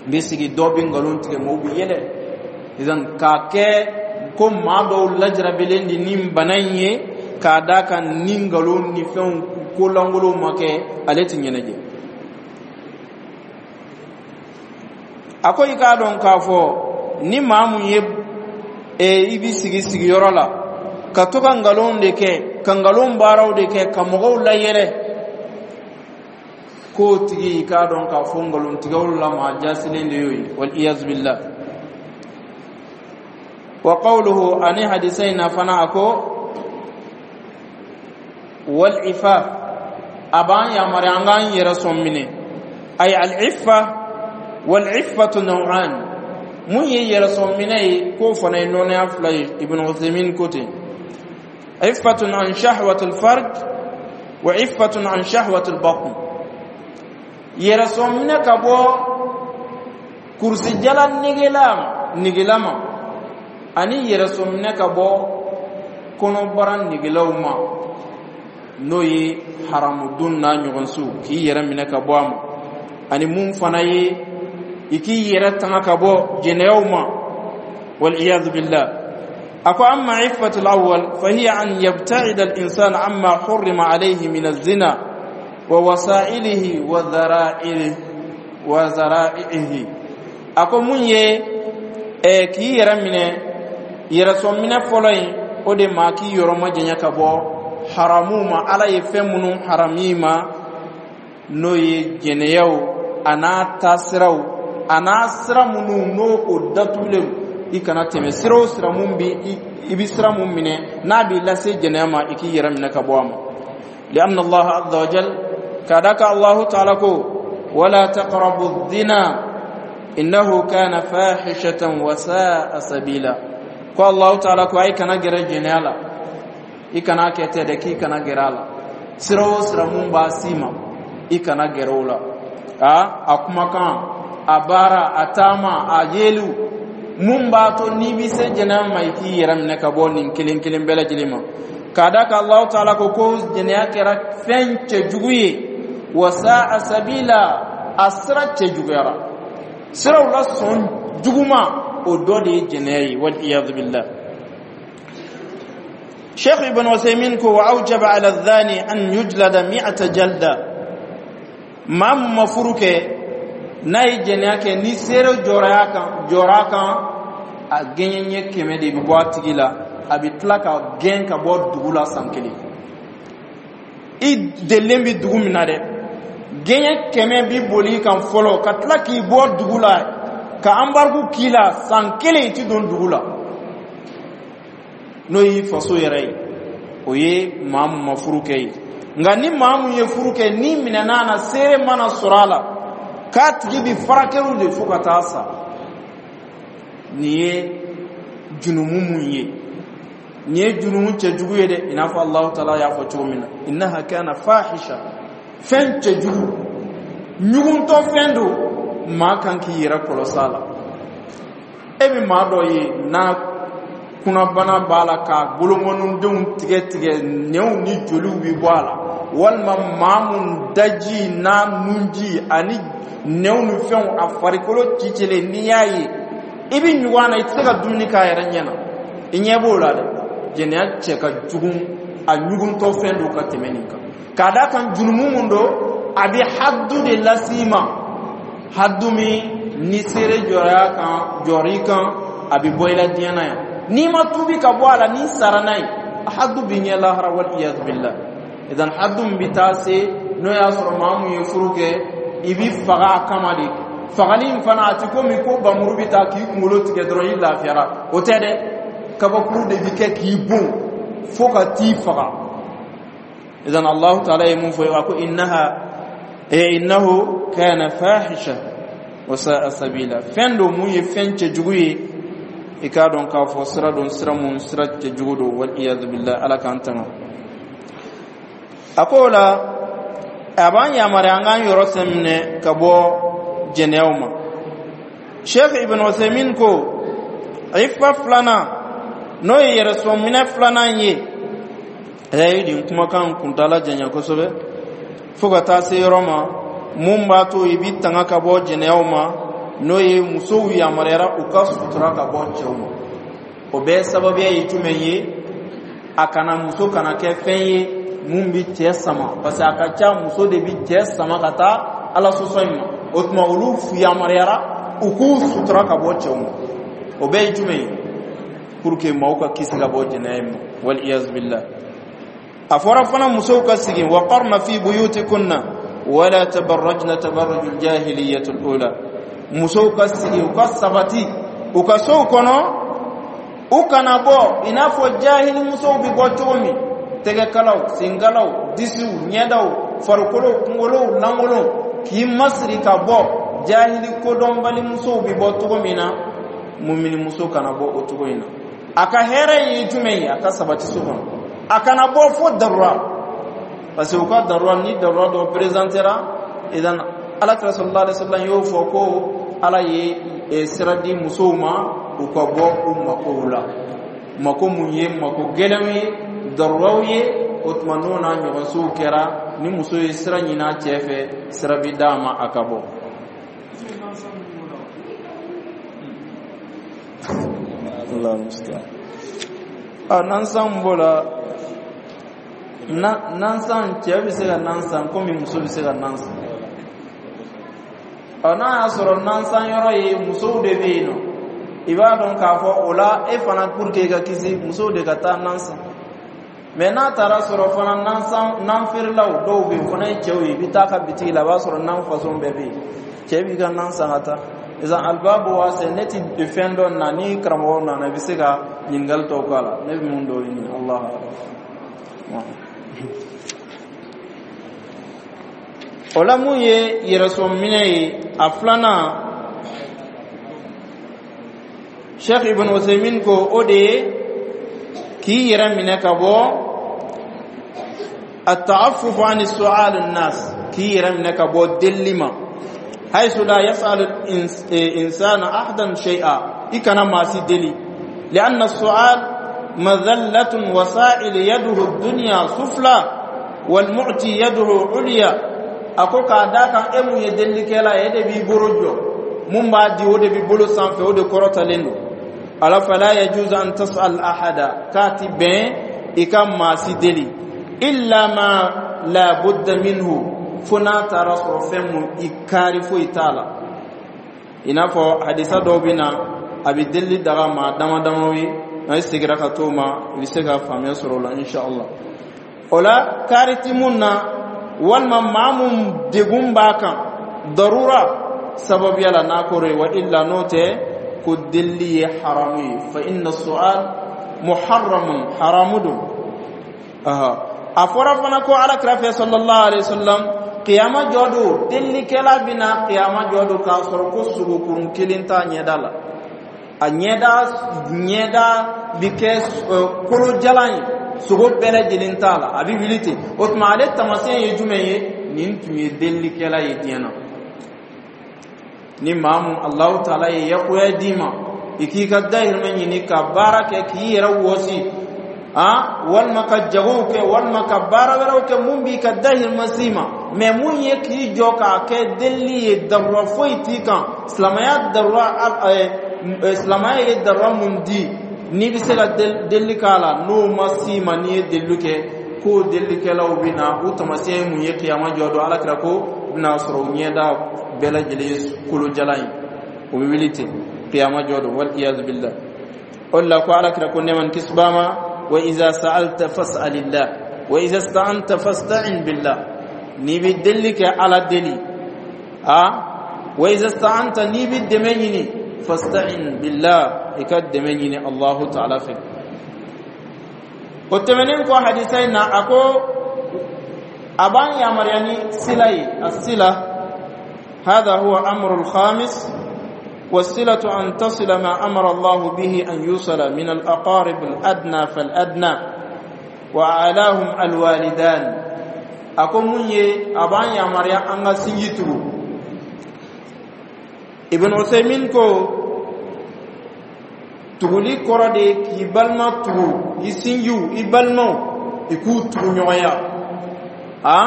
bɛ sigi, dɔ bɛ nkalon tigɛ, mɔgɔw bɛ yɛlɛ. Idan k'a kɛ ko maa dɔw lajarabilen de ni bana in ye, k'a d'a kan ni nkalon ni fɛnw ko lankolonw ma kɛ, ale ti ɲɛnajɛ. A ko i k'a dɔn k'a fɔ ni maa mun ye e, i bi sigi sigiyɔrɔ la ka to ka nkalon de kɛ, ka nkalon baaraw de kɛ, ka mɔgɔw layɛlɛ, k'o tigi, i k'a dɔn k'a fɔ nkalontigɛw la maa jasilen de y'o ye, wal iyazu billah. Wa qawluhu, ani hadisa in na fana, a ko wal ifaf, a b'an yamaruya an k'an yɛrɛ sɔn minɛ, ay al iffa. Wal iffatu naw'an, mun ye yɛrɛ sɔn minɛ ye, k'o fana ye nɔnɔya fila ye. Ibn Uthaymin ko ten: iffatun an shahwatul farj wa iffatun an shahwatul batn. Yɛrɛ sɔn minɛ ka bɔ kurusijala negela negela ma, ani yɛrɛ sɔn minɛ ka bɔ kɔnɔbara negelaw ma, n'o ye haramudon n'a ɲɔgɔnsiw, k'i yɛrɛ minɛ ka bɔ a ma, ani mun fana ye i k'i yɛrɛ tanga ka bɔ jɛnɛyaw ma, waliyadu billah. A ko amma iffatu al-awwal fa hiya an yabta'ida al-insan amma hurrima alayhi min az-zina wa wasa'ilihi wa dhara'ihi wa zara'ihi. A ko mun ye eh, k'i yɛrɛ minɛ, yɛrɛsɔn minɛ fɔlɔ in, o de ma k'i yɔrɔ majanya ka bɔ haramu ma, Ala ye fɛn minnu harami ma, n'o ye jɛnɛyaw a n'a taasiraw, a n'a sira minnu n'o o datugulen, i kana tɛmɛ sira o sira mun bi i bi sira mun minɛ n'a b'i lase jɛnɛya ma, i k'i yɛrɛ minɛ ka bɔ a ma. Lianna Allah azza wa jal, k'a da ka Allahu taala ko: wala taqrabu zina innahu kana fahishatan wa sa'a sabila. Ko Allahu taala ko ay kana gɛrɛ jɛnɛya la, i kana kɛ tɛ dɛ, k'i kana gɛrɛ a la. Sira o sira mun b'a s'i ma, i kana gɛrɛ o la. A a kumakan, a baara, a taama, a yeliw, mun b'a to n'i bɛ se jɛnɛya ma, i k'i yɛrɛ minɛ ka bɔ nin kelen kelen bɛɛ lajɛlen ma. K'a da kan Allahu taala ko ko jɛnɛya kɛra fɛn cɛjugu ye, wa sa'a sabila, a sira cɛjuguyara, siraw la sɔn juguman, o dɔ de ye jɛnɛya ye, wal iyadu billah. Sheikh Ibn Uthaymin ko wa awjaba ala dhani an yujlada mi'ata jalda. Maa mun ma furu kɛ, n'a ye jɛnɛya kɛ, ni seere jɔra kan jɔra kan, a gɛɲɛ ɲɛ kɛmɛ de bɛ bɔ a tigi la, a bɛ tila ka gɛn ka bɔ dugu la san kelen. I delilen bɛ dugu min na dɛ, gɛɲɛ kɛmɛ bi boli i kan fɔlɔ, ka tila k'i bɔ dugu la, ka anbariku k'i la san kelen, i ti don dugu la, n'o y'i faso yɛrɛ ye. O ye maa mun ma furu kɛ ye. Nka ni maa mun ye furu kɛ, ni minɛna na, seere mana sɔrɔ a la k'a tigi bi farakɛliw de fo ka taa sa. Nin ye junumu mun ye, nin ye junumu cɛjugu ye dɛ, i n'a fɔ Alahu taala y'a fɔ cogo min na: innaha kana fahisha, fɛn cɛjugu, ɲuguntɔ fɛn don, maa kan k'i yɛrɛ kɔlɔsi a la. E bɛ maa dɔ ye n'a kunnabana b'a la, k'a bolokɔnidenw tigɛ tigɛ, nɛnw ni joliw bɛ bɔ a la, walima maa mun daji n'a nunji ani nɛnw ni fɛnw, a farikolo cicilen, n'i y'a ye i bɛ ɲugun a na, i tɛ se ka dumuni k'a yɛrɛ ɲɛ na. I ɲɛ b'o la dɛ, jɛnɛya cɛ ka jugu. A ɲuguntɔ fɛn don ka tɛmɛ nin kan, k'a d'a kan jurumu mun don, a bɛ haddu de las'i ma, haddu min ni seere jɔra kan, jɔr'i kan, a bɛ bɔ i la diɲɛ na yan. N'i ma tuubi ka bɔ a la, n'i sara n'a ye, haddu b'i ɲɛ lahara, wal iyadu billah. Idan haddu min bɛ taa se, n'o y'a sɔrɔ maa mun ye furu kɛ, i bi faga a kama de. Fagali in fana, a ti komi ko bamuru bɛ taa k'i kunkolo tigɛ dɔrɔn, i lafiyara, o tɛ dɛ. Kabakuru de bi kɛ k'i bon fo ka t'i faga. Idan Allahu taala ye mun fɔ? A ko innaha e innahu kana fahisha wa sa'a sabila. Fɛn don mun ye fɛn cɛjugu ye. I k'a dɔn k'a fɔ sira don, sira mun sira cɛjugu don, wal iyadu billah. Ala k'an tanga. A ko o la, a b'an yamaruya an k'an yɔrɔ sɛminɛ ka bɔ jɛnɛyaw ma. Sheikh Ibn Uthaymeen ko ifa filanan, n'o ye yɛrɛsɔn filanan ye, a ye nin kumakan kuntala janya kosɛbɛ fo ka taa se yɔrɔ ma mun b'a to i bi tanga ka bɔ jɛnɛyaw ma, n'o ye musow yamaruyara u ka sutura ka bɔ cɛw ma. O bɛɛ sababuya ye jumɛn ye? A kana muso kana kɛ fɛn ye mun bi cɛ sama, parce que a ka ca muso de bi cɛ sama ka taa Ala sɔsɔ in ma. O tuma olu yamaruyara u k'u sutura ka bɔ cɛw ma. O bɛɛ ye jumɛn ye? Pour que maaw ka kisi ka bɔ jɛnɛya in ma, wal iyaz billah. A fɔra fana musow ka sigi: wa qarna fi buyutikunna wala tabarrajna tabarrujul jahiliyatul ula. Musow ka sigi, u ka sabati u ka sow kɔnɔ, u kana bɔ i n'a fɔ jahili musow bi bɔ cogo min, tɛgɛkalaw, senkalaw, disiw, ɲɛdaw, farikolo, kunkolow lankolon, k'i masiri ka bɔ, jahili kodɔnbali musow bi bɔ cogo min na, mumini muso kana bɔ o cogo in na. A ka hɛrɛ ye jumɛn ye? A ka sabati so kɔnɔ, a kana bɔ fo darura, parce que u ka darura, ni darura dɔ présentera. Idan Ala kira sallallahu alaihi wasallam y'o fɔ ko Ala ye sira di musow ma u ka bɔ u makow la, mako mun ye mako gɛlɛnw ye, daruraw ye. O tuma n'o n'a ɲɔgɔnsow kɛra, ni muso ye sira ɲini a cɛ fɛ, sira bi d'a ma a ka bɔ. Allah musta'an. A nansan b'o la, nansan, cɛ bɛ se ka nan san komi muso bɛ se ka nan san. Ɔ, n'a y'a sɔrɔ nansan yɔrɔ ye musow de bɛ yen nɔ, i b'a dɔn k'a fɔ o la e fana, pour que i ka kisi, musow de ka taa nan san. Mɛ n'a taara sɔrɔ fana nansan, nan feerelaw dɔw bɛ yen, o fana ye cɛw ye, i bɛ taa ka bitigi la, a b'a sɔrɔ nan fasɔn bɛɛ bɛ yen, cɛ b'i ka nan san ka taa. Sisan alibabu waase, ne ti fɛn dɔ na, ni karamɔgɔw nana, i bɛ se ka ɲininkali tɔw k'a la. Ne bɛ mun dɔw ɲini, Allah. O la, mun ye yɛrɛsɔn minɛ ye, a filanan, Sheikh Ibn Uthaymeen ko o de ye k'i yɛrɛ minɛ ka bɔ التعفف عن السؤال الناس, k'i yɛrɛ minɛ ka bɔ delili ma, حيث لا يسأل الإنسان أحدا شيئا. I kana maa si deli, لأن السؤال مذلة، وسائل يده الدنيا سفلى والمعطي يده عليا. A ko k'a da kan e mun ye delikɛla ye, e de b'i bolo jɔ, mun b'a di, o de b'i bolo sanfɛ, o de kɔrɔtalen don. Ala fala yajuzu an tas'al ahada, k'a ti bɛn i ka maa si deli, illa ma la budda minhu, fo n'a taara sɔrɔ fɛn mun i kaari foyi t'a la. I n'a fɔ hadisa dɔw bɛ na, a bɛ delili daga maa dama damaw ye. N'a seginna ka t'o ma, i bɛ se ka faamuya sɔrɔ o la, inshallah. O la, kaari ti mun na, walima maa mun degun b'a kan darura sababuya la, n'a kɔrɔ ye wa illa, n'o tɛ, ko delili ye haramu ye. Fa inna su'al muharramun, haramu don. A fɔra fana ko Ala kira fɛ sallallahu alaihi wasallam, qiyama jɔ don, delilikɛla bɛna qiyama jɔ don k'a sɔrɔ ko sogokurun kelen t'a ɲɛda la, a ɲɛda ɲɛda bi kɛ kolojalan ye, sogo bɛɛ lajɛlen t'a la, a bɛ wuli ten. O tuma ale taamasiyɛn ye jumɛn ye? Nin tun ye delilikɛla ye diɲɛ na. Ni maa mun Alahu taala ye yakuya d'i ma, i k'i ka dahirimɛ ɲini ka baara kɛ k'i yɛrɛ wɔsi, ah, walima ka jagow kɛ, walima ka baara wɛrɛw kɛ mun b'i ka dahirimɛ s'i ma. Mɛ mun ye k'i jɔ k'a kɛ delili ye, darura foyi t'i kan. Silamɛya darura, silamɛya ye darura mun di, n'i bɛ se ka delili k'a la, n'o ma s'i ma, n'i ye delili kɛ. Ko delilikɛlaw bɛ na, u taamasiyɛn ye mun ye kiyama jɔ don? Ala kira ko u bɛna sɔrɔ u ɲɛda bɛɛ lajɛlen ye kolojalan ye, o bɛ wuli ten kiyama jɔ don, wal iyazu billah. O de la ko Ala kira ko, nɛɛma ni kisi b'a ma: wa iza sa'alta fas'alillah wa iza sta'anta fasta'in billah. N'i bɛ delili kɛ, Ala deli. A wa iza sta'anta, n'i bɛ dɛmɛ ɲini, fasta'in billah, i ka dɛmɛ ɲini Allahu ta'ala fɛ. O tɛmɛnen kɔ, hadisa in na, a ko a b'an yamaruya ni sila ye, asila. هذا هو أمر الخامس. والصلة أن تصل ما أمر الله به أن يوصل من الأقارب الأدنى فالأدنى، وأعلاهم الوالدان. A ko mun ye a b'an yamaruya an ka sinji tugu? Ibn Usaymin ko tuguli kɔrɔ de ye k'i balima tugu, i sinjiw, i balimaw, i k'u tugu ɲɔgɔnya, a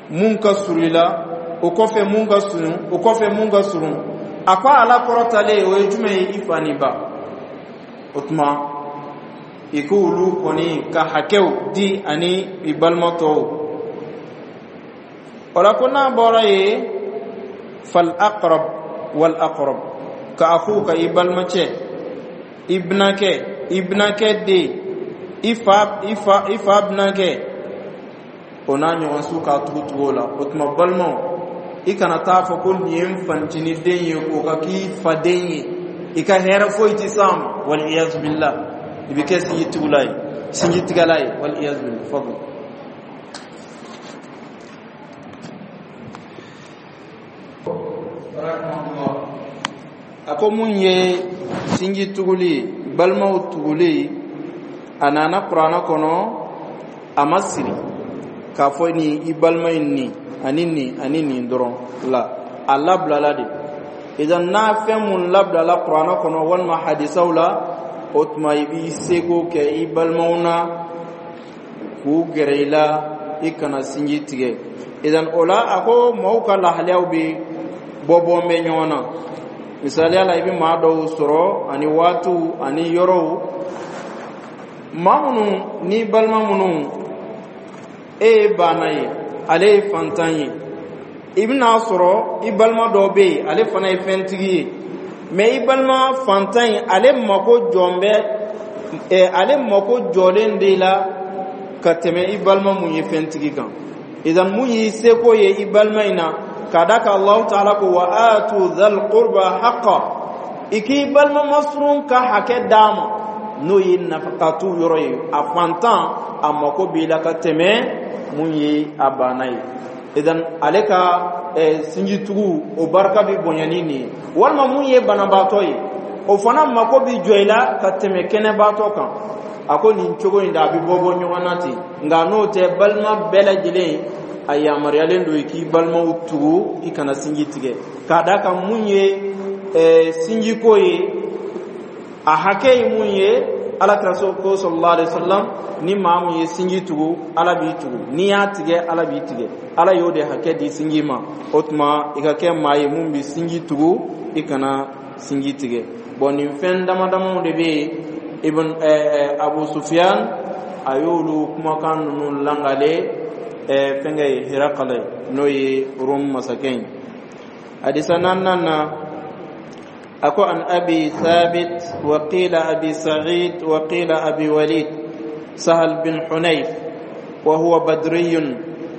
mun ka surun i la, o kɔfɛ mun ka surun, o kɔfɛ mun ka surun. A ko ala kɔrɔtalen, o ye jumɛn ye? I fa ni ba. O tuma i k'olu kɔni ka hakɛw di ani i balima tɔw. O la ko n'a bɔra yen, fal aqrab wal aqrab, ka akhuka, i balimacɛ, i binankɛ, i binankɛ den, i fa i fa i fa binankɛ, o n'a ɲɔgɔn su, k'a tugu tugu o la. O tuma balimaw, i kana taa fɔ ko nin ye n fancinin den ye, k'o ka k'i faden ye, i ka hɛrɛ foyi ti s'a ma, wal iyazu billah, i bɛ kɛ sinji tugula ye, sinji tigɛla ye, wal iyazu billah. Fadl. A ko mun ye sinji tuguli, balimaw tuguli? A nana Kuranɛ kɔnɔ, a ma siri k'a fɔ nin i balima in, nin ani nin ani nin dɔrɔn la, a labilala de. Idan n'a fɛn mun labilala Kuranɛ kɔnɔ walima hadisaw la, o tuma i b'i seko kɛ i balimaw na k'u gɛrɛ i la, i kana sinji tigɛ. Idan o la, a ko maaw ka lahalayaw bɛ bɔ bɔ bɛ ɲɔgɔn na. Misaliya la, i bɛ maa dɔw sɔrɔ ani waatiw ani yɔrɔw, maa minnu ni balima minnu, e ye baana ye, ale ye fantan ye. I bɛn'a sɔrɔ i balima dɔ bɛ yen, ale fana ye fɛntigi ye, mɛ i balima fantan in, ale mako jɔn bɛ ɛ, ale mako jɔlen de la ka tɛmɛ i balima mun ye fɛntigi kan. Idan mun y'i seko ye i balima in na, ka da kan Alahu taala ko wa atu dhal qurba haqqa, i k'i balima masurun ka hakɛ d'a ma, n'o ye nafakatu yɔrɔ ye. A fantan, a mako b'i la ka tɛmɛ mun ye a banna ye. Idan ale ka eh, sinjitugu, o barika bɛ bonya ni nin ye. Walima mun ye banabaatɔ ye, o fana mako bɛ jɔ i la ka tɛmɛ kɛnɛbaatɔ kan. A ko nin cogo in da, a bɛ bɔ bɔ ɲɔgɔn na ten. Nka n'o tɛ, balima bɛɛ lajɛlen, a yamaruyalen don i k'i balimaw tugu, i kana sinji tigɛ. K'a da kan mun ye eh, sinjiko ye, a hakɛ ye mun ye? Ala kira ko sallallahu alaihi wasallam, ni maa mun ye sinji tugu, Ala b'i tugu, n'i y'a tigɛ, Ala b'i tigɛ. Ala y'o de hakɛ di sinji ma. O tuma i ka kɛ maa ye mun bɛ sinji tugu, i kana sinji tigɛ. Bɔn, nin fɛn dama damaw de bɛ yen, ibn eh, Abu Sufyan a y'olu kumakan ninnu langale eh, fɛnkɛ ye, Hirakala ye, n'o ye Rom masakɛ ye. Hadisa naaninan na, أكو عن أبي ثابت، وقيل أبي سعيد، وقيل أبي وليد، سهل بن حنيف، وهو بدري،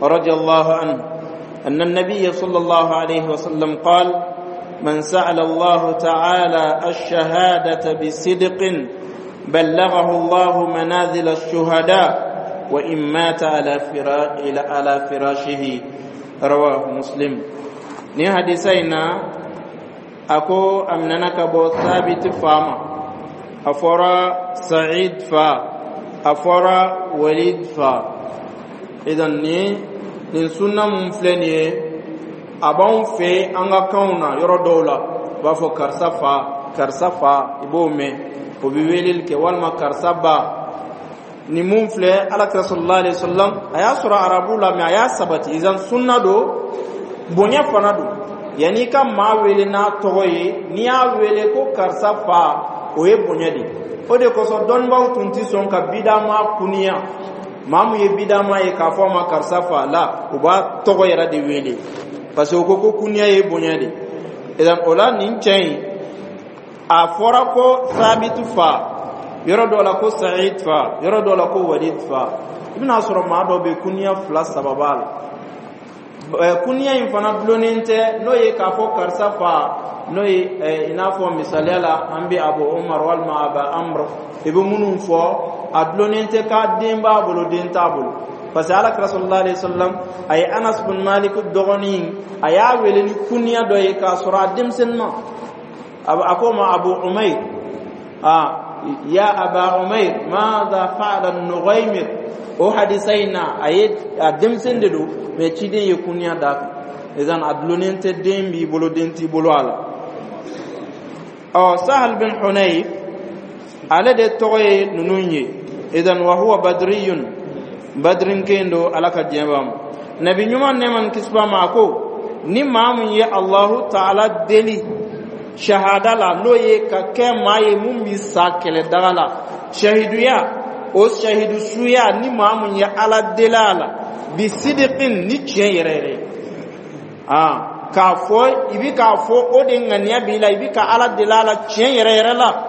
رضي الله عنه أن النبي صلى الله عليه وسلم قال: من سأل الله تعالى الشهادة بصدق بلغه الله منازل الشهداء وإن مات على على فراشه. رواه مسلم. Ni hadisa in na, a ko a minɛna ka bɔ Sabiti fa ma, a fɔra Sa'id fa, a fɔra Walid fa. Idan ni nin sunna mun filɛ nin ye, a b'anw fɛ an ka kanw na, yɔrɔ dɔw la, u b'a fɔ karisa fa, karisa fa, i b'o mɛn, o bɛ weleli kɛ, walima karisa ba. Nin mun filɛ, Ala kira sallallahu alaihi wasallam, a y'a sɔrɔ arabu la, mɛ a y'a sabati. Idan sunna don, bonya fana don. Yanni i ka maa wele n'a tɔgɔ ye, n'i y'a wele ko karisa fa, o ye bonya de. O de kosɔn dɔnnibaaw tun tɛ sɔn ka bida maa kuniya. Maa mun ye bidama ye k'a fɔ a ma karisa fa la, u b'a tɔgɔ yɛrɛ de wele, parce que u ko ko kuniya ye bonya de. Idan o la, nin cɛ in, a fɔra ko Sabitu fa yɔrɔ dɔ la, ko Sa'id fa yɔrɔ dɔ la, ko Walid fa. I bɛna sɔrɔ maa dɔ bɛ, kuniya fila saba b'a la. Kuniya in fana dulonnen tɛ, n'o ye k'a fɔ karisa fa, n'o ye i n'a fɔ misaliya la an bɛ Abu Umar walima Aba Amr, i bɛ minnu fɔ, a dulonnen tɛ k'a den b'a bolo, den t'a bolo, parce que Ala kira sallallahu alaihi wasallam, a ye Anas bin Malik dɔgɔnin, a y'a wele ni kuniya dɔ ye k'a sɔrɔ a denmisɛnnin ma. A ko ma Abu Umair, a ya Aba Umair, madha fa'ala Nughaymir. O hadisa in na, a ye a denmisɛn de don, mais ciden ye kuniya d'a kan. Idan a dulonnen tɛ den b'i bolo, den t'i bolo a la. Ɔ, Sahal bin Hunayf, ale de tɔgɔ ye ninnu ye. Idan wa huwa badriyun, badrinken do, Ala ka diɲɛ b'a ma. Nabi ɲuman, nɛɛma ni kisi b'a ma, a ko ni maa mun ye Allahu Taala deli shahada la, n'o ye ka kɛ maa ye mun bi sa kɛlɛdaga la, shahiduya, o shahidu suya, ni maa mun ye Ala deli a la bi sidiqin, ni tiɲɛ yɛrɛ yɛrɛ ye, aa k'a fɔ i bi k'a fɔ o de ŋaniya b'i la, i bi ka Ala deli a la tiɲɛ yɛrɛ yɛrɛ la,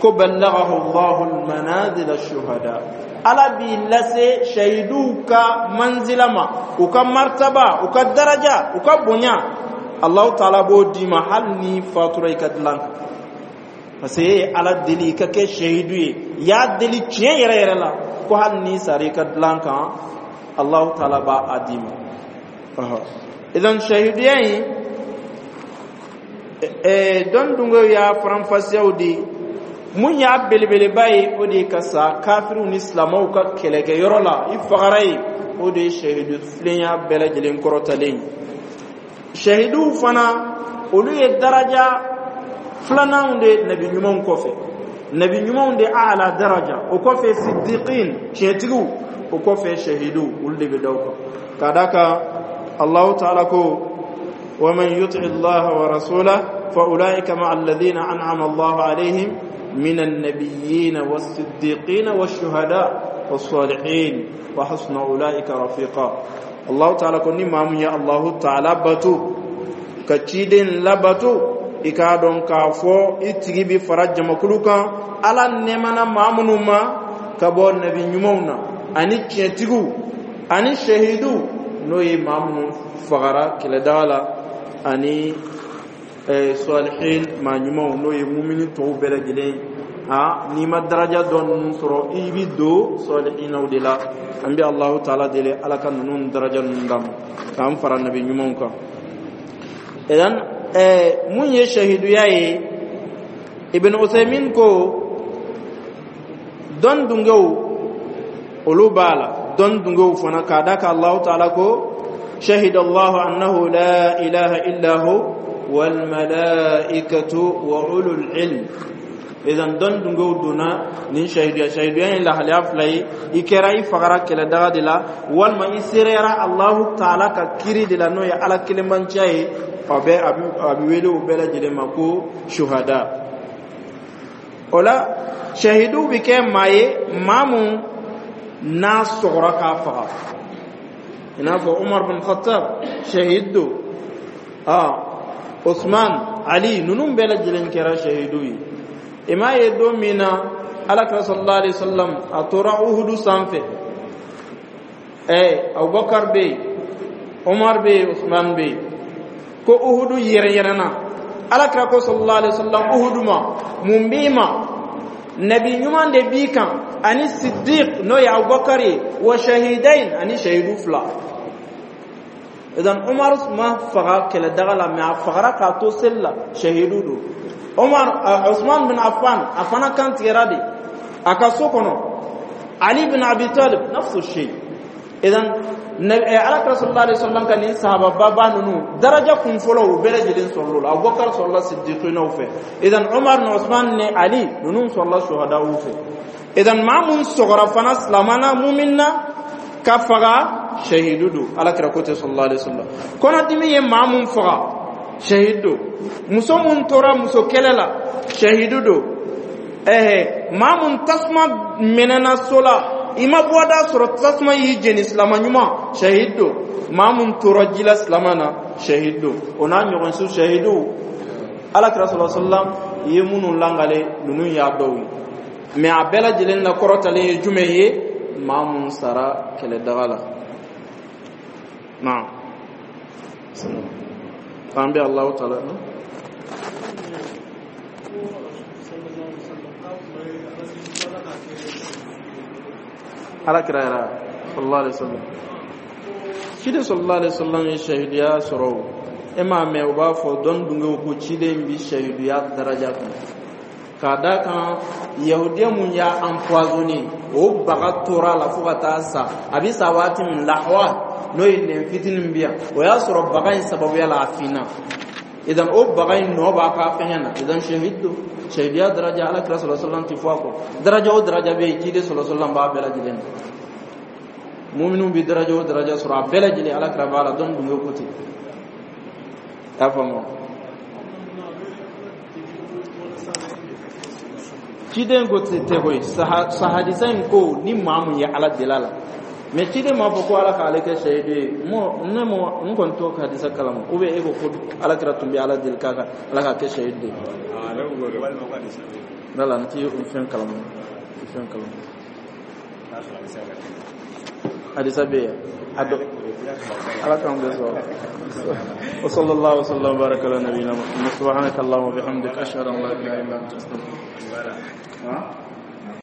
ko ballaghahu Allahu almanazil ash-shuhada, Ala b'i lase shahiduw ka manzila ma, u ka martaba, u ka daraja, u ka bonya, Allahu Taala b'o d'i ma hali ni fatura i ka dilan kan, parce que e ye Ala deli i ka kɛ shahidu ye, i y'a deli tiɲɛ yɛrɛ yɛrɛ la, ko hali n'i sara i ka dilan kan, Allahu Taala b'a a d'i ma. Idan shahiduya in, dɔn dungew y'a faranfasiyaw di. Mun y'a belebeleba ye? O de ye ka sa kafiriw ni silamɛw ka kɛlɛkɛyɔrɔ la, i fagara yen, o de ye shahidu filenya bɛɛ lajɛlen kɔrɔtalen ye. Shahiduw fana, olu ye daraja filananw de nabi ɲumanw kɔfɛ. Nabi ɲumanw de ala daraja, o kɔfɛ siddiqin, tiɲɛtigiw, o kɔfɛ shahiduw, olu de bɛ da o kan, ka da kan Allahu Taala ko: ومن يطع الله ورسوله فأولئك مع الذين أنعم الله عليهم من النبيين والصديقين والشهداء والصالحين وحسن أولئك رفيقا. الله تعالى ko ni maa mun ye Allahu Taala bato ka ciden labato, i k'a dɔn k'a fɔ i tigi bi fara jamakulu kan Ala nɛɛmana maa minnu ma, ka bɔ nabi ɲumanw na, ani tiɲɛtigiw, ani shahiduw, n'o ye maa minnu fagara kɛlɛdaga la, ani salihin, maa ɲumanw, n'o ye mumini tɔw bɛɛ lajɛlen. A n'i ma daraja dɔ ninnu sɔrɔ, i bi don salihinaw de la. An bɛ Allahu Taala deli, Ala ka ninnu daraja ninnu d'an ma, k'an fara nabi ɲumanw kan. Idan mun ye shahiduya ye? Ibn Usaymin ko dɔn dungew, olu b'a la. Dɔn dungew fana, k'a da ka Allahu Taala ko: شهد الله أنه لا إله إلا هو والملائكة وأولو العلم. Idan dɔn dungew donna nin shahiduya. Shahiduya in lahalaya fila ye: i kɛra i fagara kɛlɛdaga de la, walima i seereyara Allahu Taala ka kiri de la, n'o ye Ala kelenbanciya ye, a bɛ a bɛ wele o bɛɛ lajɛlen ma ko shuhada. O la, shahiduw bɛ kɛ maa ye, maa mun n'a sɔgɔra k'a faga, i n'a fɔ Umar bin Khattab shahid don, ah Usman, Ali, ninnu bɛɛ lajɛlen kɛra shahidu ye. I m'a ye, don min na Ala kira sallallahu alaihi wasallam a tora Uhudu sanfɛ, ɛ Abubakar bɛ yen, Umar bɛ yen, Usman bɛ yen, ko Uhudu yɛrɛ yɛrɛna. Ala kira ko sallallahu alaihi wasallam Uhudu ma: mun b'i ma? Nabi ɲuman de b'i kan, ani siddiq, n'o ye Abubakar ye, wa shahidain, ani shahidu fila. Idan Umar ma faga kɛlɛdaga la, mais a fagara k'a to seli la, shahidu don. Umar, Usman bin Affan, a fana kan tigɛra de a ka so kɔnɔ. Ali bin Abi Talib, nafsu shay. Idan Ala kira sallallahu alaihi wasallam ka nin sahababa ninnu, daraja kun fɔlɔ, u bɛɛ lajɛlen sɔrɔla la. Abubakar sɔrɔla siddiqinaw fɛ, idan Umar ni Usman ni Ali ninnu sɔrɔla shuhadaw fɛ. Idan maa mun sɔgɔra fana silamɛna, mumin na ka faga, shahidu don. Ala kira ko tɛ sallallahu alaihi wasallam, kɔnɔdimi ye maa mun faga, shahidu don. Muso mun tora muso kɛlɛ la, shahidu don. Ɛhɛ, maa mun tasuma mɛnɛna so la. I ma bɔda sɔrɔ, tasuma y'i jeni, silama ɲuman, shahid don. Maa mun tora ji la silama na, shahid don. O n'a ɲɔgɔn su shahidu, Ala kira sɔlɔ sallam i ye minnu langale, ninnu y'a dɔw ye. Mais a bɛɛ lajɛlen la kɔrɔtalen ye jumɛn ye? Maa mun sara kɛlɛdaga la. Naam, an bɛ Alahu taala. Ala kira yɛrɛ sallallahu alaihi wasallam, ciden sallallahu alaihi wasallam ye shahidiya sɔrɔ. O e m'a mɛn, u b'a fɔ dɔnni dungew ko ciden bi shahidiya daraja kan, k'a d'a kan yahudiya mun y'a empoisonné, o baga tora a la fo ka taa sa. A bi sa waati min, lahwa, n'o ye nɛn fitinin bi yan, o y'a sɔrɔ baga in sababuya la a finna. Idan o baga in nɔ b'a ka fɛngɛ na. Idan shahid don, shahidiya daraja, Ala kira sallallahu alaihi wasallam ti fɔ a kɔ. Daraja o daraja bɛ yen, ciden sallallahu alaihi wasallam b'a bɛɛ lajɛlen na. Muminu bi daraja o daraja sɔrɔ, a bɛɛ lajɛlen Ala kira b'a la. Dɔnni dunge ko ten, i y'a faamu? Ciden ko ten tɛ koyi. Sahadisa in ko ni maa mun ye Ala deli a la, mais ciden m'a fɔ ko Ala k'ale kɛ shahidu ye. Mɔ ne mɔ n kɔni t'o hadisa kalama. Ou bien e ko ko Ala kira tun bɛ Ala deli k'a ka Ala k'a kɛ shahidu ye? Wala n ti o fɛn kalama, o fɛn kalama. Hadisa bɛ yen a dɔ. Ala k'an bɛɛ sɔrɔ. Wa sallallahu wa sallam baraka ala nabiyina Muhammad. Subhanaka allahumma wa bihamdika, ashhadu an la ilaha illa anta, astaghfiruka.